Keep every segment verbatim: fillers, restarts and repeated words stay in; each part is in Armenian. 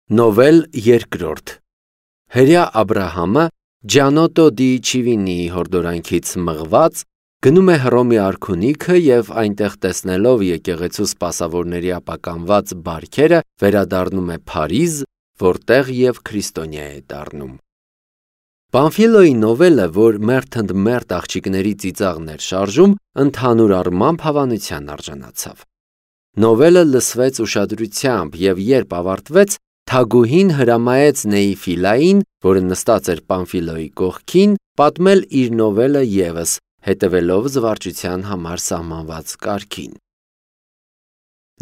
Նովել երկրորդ Հրյա Աբրահամը Ջանոտո դի Չիվինիի հորդորանքից մղված գնում է Հռոմի արքունիքը և այնտեղ տեսնելով եկեղեցու սպասավորների ապականված բարքերը վերադառնում է Փարիզ, որտեղ և քրիստոնյա է դառնում։ Պամֆիլոյի նովելը, որ մերթ ընդ մերթ աղջիկների ծիծաղն էր շարժում, ընդհանուր առմամբ հավանության արժանացավ։ Նովելը լսվեց ուշադրությամբ և երբ ավարտվեց, թագուհին հրամայեց Նեիֆիլային, որը նստած էր Պամֆիլոյի կողքին, պատմել իր նովելը ևս, հետևելով զվարճության համար սահմանված կարգին։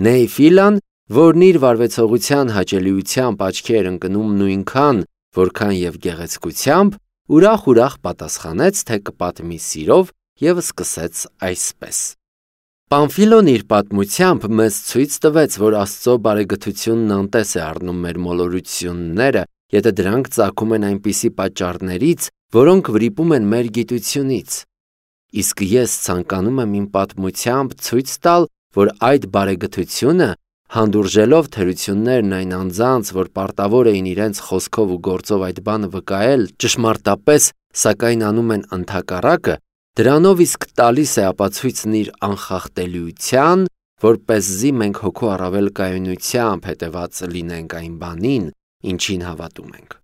Նեիֆիլան, որն իր վարվեցողության հաճելիությամբ աչքի էր ընկնում նույնքան, որքան և գեղեցկությամբ, ուրախ-ուրախ պատասխանեց, թե կպատմի սիրով և սկսեց այսպես. Պամֆիլոն իր պատմությամբ մեզ ցույց տվեց, որ Աստծո բարեգթությունն անտես է առնում մեր մոլորությունները, եթե դրանք ծագում են այնպիսի պատճառներից, որոնք վրիպում են մեր գիտությունից։ Իսկ ես ցանկանում եմ իմ պատմությամբ ցույց տալ, որ այդ բարեգթությունը, հանդուրժելով թերություններն այն անձանց, որ պարտավոր էին իրենց խոսքով ու գործով այդ բանը վկայել ճշմարտապես, սակայն անում են ընդհակառակը, դրանով իսկ տալիս է ապացույցն իր անխախտելիության, որպեսզի մենք հոգու առավել կայունությամբ հետևած լինենք այն բանին, ինչին հավատում ենք։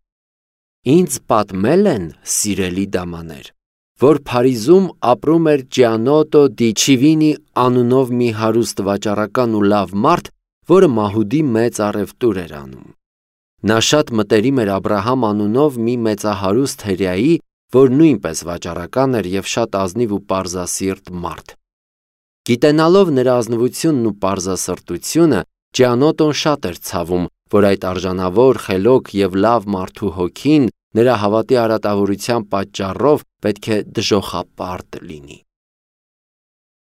Ինձ պատմել են, սիրելի դամաներ, որ Փարիզում ապրում էր Ջանոտո դի Չիվինի անունով մի հարուստ վաճառական ու լավ մարդ, որը մահուդի մեծ առևտուր էր անում։ Նա շատ մտերիմ էր Աբրահամ անունով մի մեծահարուստ հրեայի, որ նույնպես վաճառական էր և շատ ազնիվ ու պարզասիրտ մարդ։ Գիտենալով նրա ազնվությունն ու պարզասրտությունը, Ջանոտոն շատ էր ցավում, որ այդ արժանավոր, խելոք և լավ մարդու հոգին նրա հավատի արատավորության պատճառով պետք է դժոխապարտ լինի։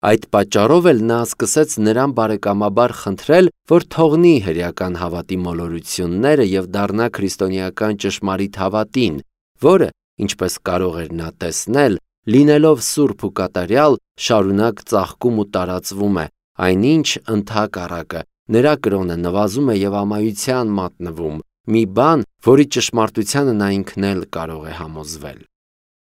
Այդ պատճառով էլ նա սկսեց նրան բարեկամաբար խնդրել, որ թողնի հրեական հավատի մոլորությունները և դառնա քրիստոնեական ճշմարիտ հավատին, որը, ինչպես կարող էր նա տեսնել, լինելով սուրբ ու կատարյալ, շարունակ ծաղկում ու տարածվում է, այնինչ ընդհակառակը նրա կրոնը նվազում է և ամայության մատնվում, մի բան, որի ճշմարտությանը նա ինքն էլ կարող է համոզվել։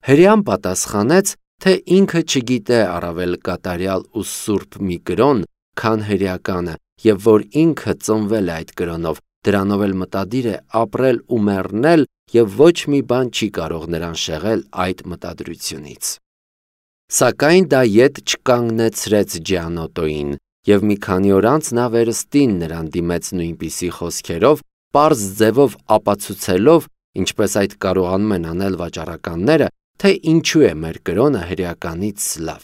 Հրեան պատասխանեց, թե ինքը չգիտե առավել կատարյալ ու սուրբ մի կրոն, քան հրեականը, և որ ինքը ծնվել է այդ կրոնով, դրանով էլ մտադիր է ապրել ու մեռնել, և ոչ մի բան չի կարող նրան շեղել այդ մտադրությունից։ Սակայն դա ետ չկանգնեցրեց Ջանոտոյին, և մի քանի օր անց նա վերստին նրան դիմեց նույնպիսի խոսքերով, պարզ ձևով ապացուցելով, ինչպես այդ կարողանում են անել վաճառականները, թե ինչու է մեր կրոնը հրեականից լավ։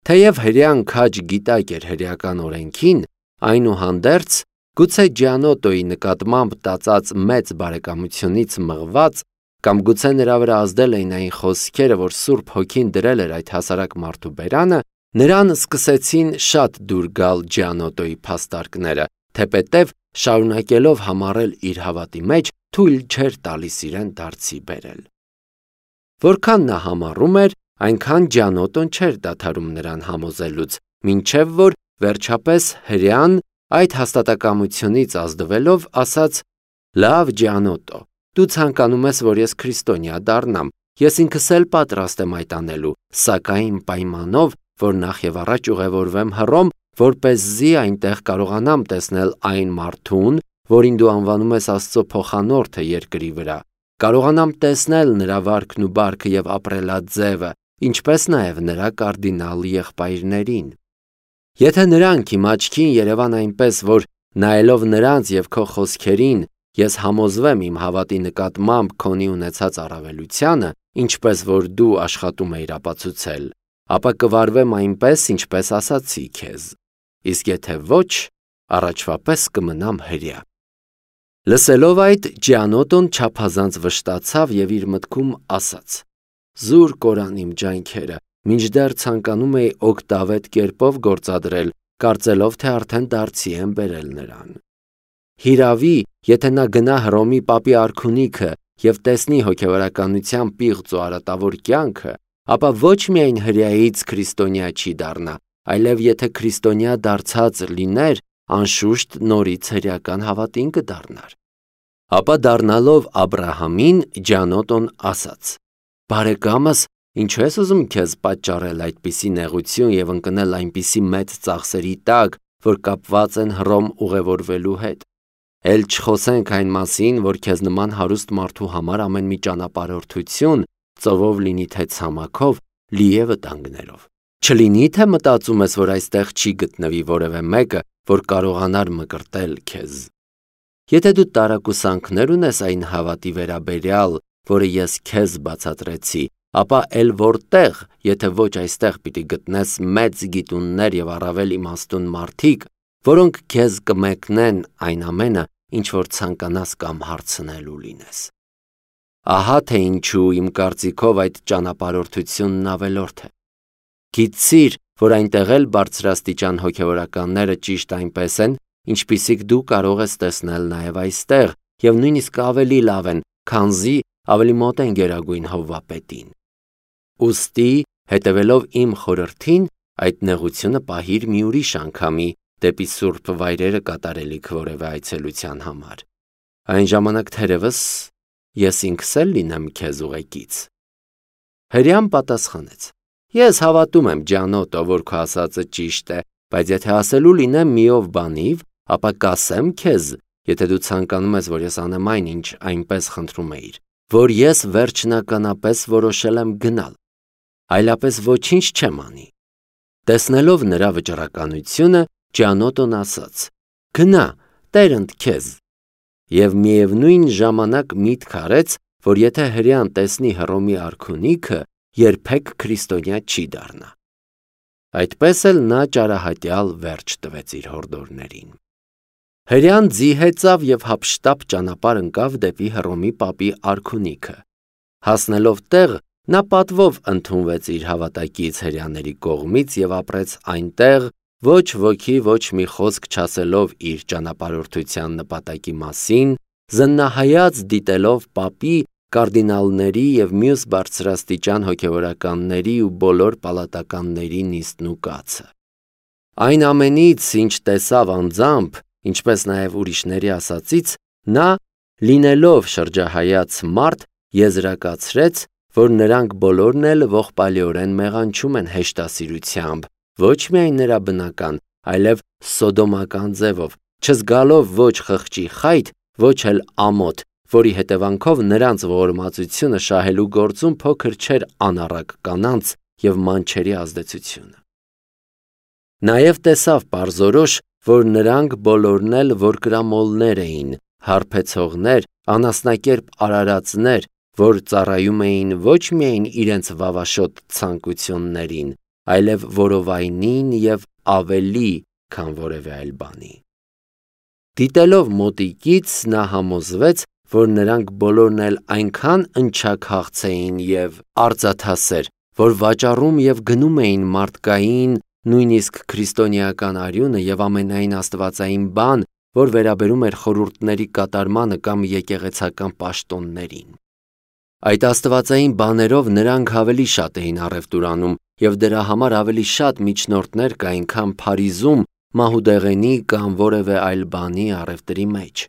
Թեև հրեան քաջ գիտակ էր հրեական օրենքին, այնուհանդերձ, գուցե Ջանոտոյի նկատմամբ տածած մեծ բարեկամությունից մղված, կամ գուցե նրա վրա ազդել էին այն խոսքերը, որ Սուրբ Հոգին դրել էր այդ հասարակ մարդու բերանը, նրան սկսեցին շատ դուր գալ Ջանոտոյի փաստարկները, թեպետև շարունակելով համառել իր հավատի մեջ, թույլ չէր տալիս իրեն դարձի բերել։ Որքան նա համառում էր, այնքան Ջանոտոն չէր դադարում նրան համոզելուց, մինչև որ վերջապես հրեան այդ հաստատակամությունից ազդվելով ասաց. «Լավ, Ջանոտո, դու ցանկանում ես, որ ես քրիստոնյա դառնամ, ես ինքս էլ պատրաստ եմ այդ անելու, սակայն պայմանով, որ նախ և առաջ ուղևորվեմ Հռոմ, որպեսզի այնտեղ կարողանամ տեսնել այն մարդուն, որին դու անվանում ես Աստծո փոխանորդը երկրի վրա, կարողանամ տեսնել նրա վարքն ու բարքը և ապրելաձևը, ինչպես նաև նրա կարդինալ եղբայրներին։ Եթե նրանք իմ աչքին երևան այնպես, որ նայելով նրանց և քո խոսքերին, ես համոզվեմ իմ հավատի նկատմամբ քոնի ունեցած առավելությանը, ինչպես որ դու աշխատում էիր ապացուցել, ապա կվարվեմ այնպես, ինչպես ասացի քեզ, իսկ եթե ոչ, առաջվա պես կմնամ հրեա»։ Լսելով այդ, Ջանոտոն չափազանց վշտացավ և իր մտքում ասաց. «Զուր կորան իմ ջանքերը, մինչդեռ ցանկանում էի օգտավետ կերպով գործադրել, կարծելով, թե արդեն դարձի եմ բերել նրան։ Հիրավի, եթե նա գնա Հռոմի պապի արքունիքը և տեսնի հոգևորականության պիղծ ու արատավոր կյանքը, ապա ոչ միայն հրեայից քրիստոնյա չի դառնա, այլև եթե քրիստոնյա դարձած լիներ, անշուշտ նորից հրեական հավատին կդառնար։ Ապա դառնալով Աբրահամին, Ջանոտոն ասաց. «Բարեկամս, ինչու ես ուզում քեզ պատճառել այդպիսի նեղություն եւ ընկնել այնպիսի մեծ ծախսերի տակ, որ կապված են Հռոմ ուղևորվելու հետ։ Էլ չխոսենք այն մասին, որ քեզ նման հարուստ մարդու համար ամեն մի ճանապարհորդություն, ծովով լինի թե ցամաքով, լի է վտանգներով։ Չլինի թե մտածում ես, որ այստեղ չի գտնվի որևէ մեկը, որ կարողանար մկրտել քեզ։ Եթե դու տարակուսանքներ ունես այն հավատի վերաբերյալ, որը ես քեզ բացատրեցի, ապա էլ որտեղ, եթե ոչ այստեղ պիտի գտնես մեծ գիտուններ եւ առավել իմաստուն մարդիկ, որոնք քեզ կմեկնեն այն ամենը, ինչ որ ցանկանաս կամ հարցնելու լինես։ Ահա թե ինչու իմ կարծիքով այդ ճանապարհորդությունն ավելորդ է։ Գիտիր, որ այնտեղ էլ բարձրաստիճան հոգևորականները ճիշտ այնպես են, ինչպիսիք դու կարող ես տեսնել նաև այստեղ, եւ նույնիսկ ավելի լավ են, քանզի ավելի մոտ են Գերագույն Հովվապետին։ Ուստի, հետևելով իմ խորհրդին, այդ նեղությունը պահիր մի ուրիշ անգամի դեպի սուրբ վայրերը կատարելիք որևէ այցելության համար։ Այն ժամանակ թերևս ես ինքս էլ լինեմ քեզ ուղեկից։ Հրեան պատասխանեց. Ես հավատում եմ, Ջանոտո, որ քո ասածը ճիշտ է, բայց եթե ասելու լինեմ միով բանիվ, ապա կասեմ քեզ, եթե դու ցանկանում ես, որ ես անեմ այն, ինչ այնպես խնդրում էիր, որ ես վերջնականապես որոշել եմ գնալ, այլապես ոչինչ չեմ անի։ Տեսնելով նրա վճռականությունը, Ջանոտոն ասաց. Գնա, Տերընդ քեզ։ Եվ միևնույն ժամանակ միտք արեց, որ եթե հրեան տեսնի Հռոմի արքունիքը, երբեք քրիստոնյա չի դառնա։ Այդպես էլ նա ճարահատյալ վերջ տվեց իր հորդորներին։ Հրեան ձիհեցավ եւ հափշտապ ճանապարհ ընկավ դեպի Հռոմի պապի արքունիքը։ Հասնելով տեղ, նա պատվով ընդունվեց իր հավատակից հրեաների կողմից եւ ապրեց այնտեղ, ոչ ոքի ոչ մի խոսք չասելով իր ճանապարհորդության նպատակի մասին, զննահայաց դիտելով պապի, կարդինալների եւ մյուս բարձրաստիճան հոգևորականների ու բոլոր պալատականների նիստն ու կացը։ Այն ամենից, ինչ տեսավ անձամբ, ինչպես նաև ուրիշների ասածից, նա, լինելով շրջահայաց մարդ, եզրակացրեց, որ նրանք բոլորն էլ ողբալիորեն մեղանչում են հեշտասիրությամբ, ոչ միայն նրա բնական, այլև սոդոմական ձևով, չզգալով ոչ խղճի խայտ, ոչ էլ ամոթ, որի հետևանքով նրանց ողորմածությունը շահելու գործում փոքր չէր անառակ կանանց եւ մանչերի ազդեցությունը։ Նաև տեսավ պարզորոշ, որ նրանք բոլորն էլ որկրամոլներ էին, հարբեցողներ, անասնակերպ արարածներ, որ ծառայում էին ոչ միայն իրենց վավաշոտ ցանկություններին, այլև որովայնին եւ ավելի, քան որևէ այլ բանի։ Դիտելով մոտիկից նա համոզվեց, որ նրանք բոլորն էլ այնքան ընչաքաղց էին եւ արծաթասեր, որ վաճառում եւ գնում էին մարդկային, նույնիսկ քրիստոնեական արյունը եւ ամենայն աստվածային բան, որ վերաբերում էր խորհուրդների կատարմանը կամ եկեղեցական պաշտոններին։ Այդ աստվածային բաներով նրանք ավելի շատ էին առևտուրանում եւ դրա համար ավելի շատ միջնորդներ կային, քան Փարիզում, մահուդեղենի կամ որևէ այլ բանի առևտրի մեջ։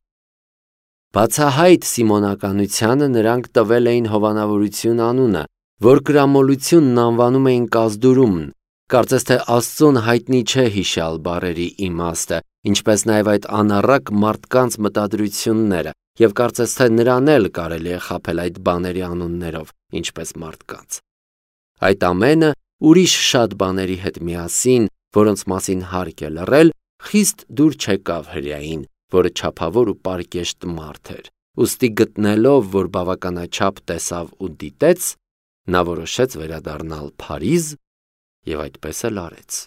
Բացահայտ սիմոնականությանը նրանք տվել էին հովանավորություն անունը, որ գրամոլությունն անվանում էին կազդուրումն, կարծես թե Աստծուն հայտնի չէ հիշյալ բառերի իմաստը, ինչպես նաև այդ անառակ մարդկանց մտադրությունները, եւ կարծես թե նրան էլ կարելի է խաբել այդ բաների անուններով, ինչպես մարդկանց։ Այդ ամենը ուրիշ շատ բաների հետ միասին, որոնց մասին հարկ է լռել, խիստ դուր չեկավ հրեային, որը չափավոր ու պարկեշտ մարդ էր։ Ուստի գտնելով, որ բավականաչափ տեսավ ու դիտեց, նա որոշեց վերադառնալ Փարիզ եւ այդպես էլ արեց։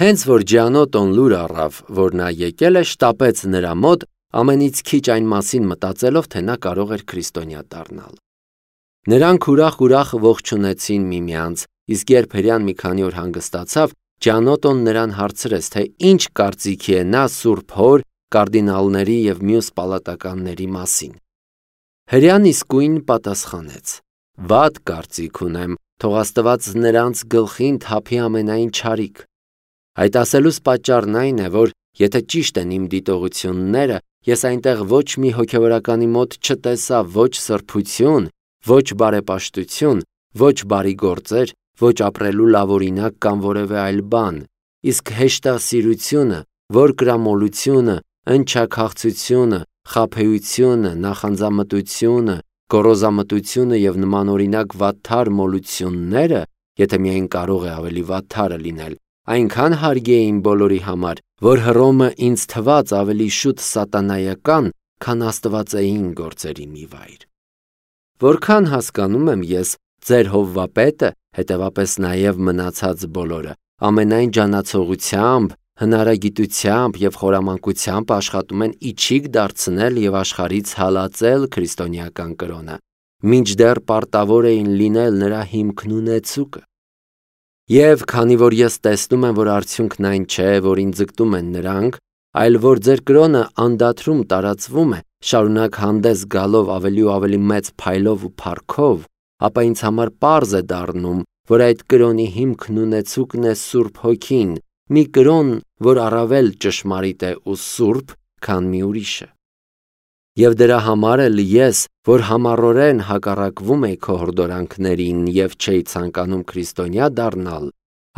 Հենց որ Ջանոտոն լուր առավ, որ նա եկել է, շտապեց նրա մոտ, ամենից քիչ այն մասին մտածելով, թե նա կարող էր քրիստոնյա դառնալ։ Նրանք ուրախ-ուրախ ողջունեցին միմյանց, իսկ երբ հրեան մի քանի օր հանգստացավ, Ջանոտոն նրան հարցրեց, թե ինչ կարծիքի է նա Սուրբ Հոր, կարդինալների եւ մյուս պալատականների մասին։ Հրեան իսկույն պատասխանեց. Վատ կարծիք ունեմ, թող Աստված նրանց գլխին թափի ամենայն չարիք։ Այդ ասելուց պատճառն այն է, որ Եթե ճիշտ են իմ դիտողությունները, ես այնտեղ ոչ մի հոգևորականի մոտ չտեսա ոչ սրբություն, ոչ բարեպաշտություն, ոչ բարի գործեր, ոչ ապրելու լավ օրինակ կամ որևէ այլ բան, իսկ հեշտասիրությունը, որկրամոլությունը, ընչաքաղցությունը, խաբեությունը, նախանձամտությունը, գոռոզամտությունը եւ նմանօրինակ վատթար մոլությունները, եթե միայն կարող է ավելի վատթարը լինել, այնքան հարգի էին բոլորի համար, որ Հռոմը ինձ թվաց ավելի շուտ սատանայական, քան աստվածային գործերի մի վայր։ Որքան հասկանում եմ ես, ձեր հովվապետը, հետևապես նաև մնացած բոլորը, ամենայն ջանացողությամբ, հնարագիտությամբ եւ խորամանկությամբ աշխատում են իջիկ դարձնել եւ աշխարհից հալածել քրիստոնեական կրոնը, մինչդեռ պարտավոր էին լինել նրա հիմքն ու նեցուկը։ Եվ քանի որ ես տեսնում եմ, որ արդյունքն այն չէ, որին ձգտում են նրանք, այլ որ ձեր կրոնը անդադրում տարածվում է, շարունակ հանդես գալով ավելի ու ավելի մեծ փայլով ու փառքով, ապա ինձ համար պարզ է դառնում, որ այդ կրոնի հիմքն ու նեցուկն է Սուրբ Հոգին, մի կրոն, որ առավել ճշմարիտ է ու սուրբ, քան մի ուրիշը։ Եվ դրա համար էլ ես, որ համառորեն հակառակվում էի քո հորդորանքներին եւ չէի ցանկանում քրիստոնյա դառնալ,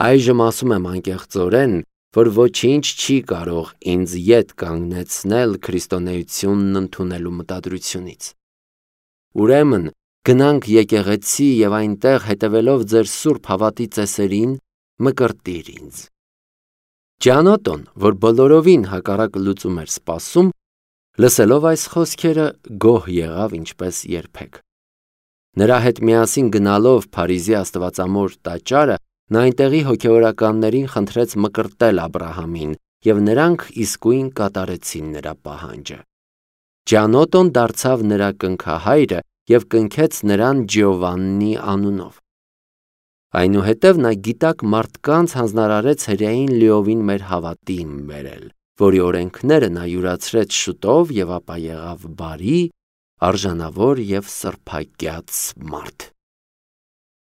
այժմ ասում եմ անկեղծորեն, որ ոչինչ չի կարող ինձ ետ կանգնեցնել քրիստոնեությունն ընդունելու մտադրությունից։ Ուրեմն գնանք եկեղեցի եւ այնտեղ հետևելով ձեր սուրբ հավատի ծեսերին մկրտիր ինձ։ Ջանոտոն, որ բոլորովին հակառակ լուծում էր սպասում, լսելով այս խոսքերը գոհ եղավ ինչպես երբեք։ Նրա հետ միասին գնալով Փարիզի Աստվածամոր տաճարը, նա այնտեղի հոգևորականներին խնդրեց մկրտել Աբրահամին, եւ նրանք իսկույն կատարեցին նրա պահանջը։ Ջանոտոն դարձավ նրա կնքահայրը եւ կնքեց նրան Ջիովաննի անունով։ Այնուհետև նա գիտակ մարդկանց հանձնարարեց հրեային լիովին մեր հավատին բերել, որի օրենքները նա յուրացրեց շուտով եւ ապա եղավ բարի, արժանավոր եւ սրբակյաց մարդ։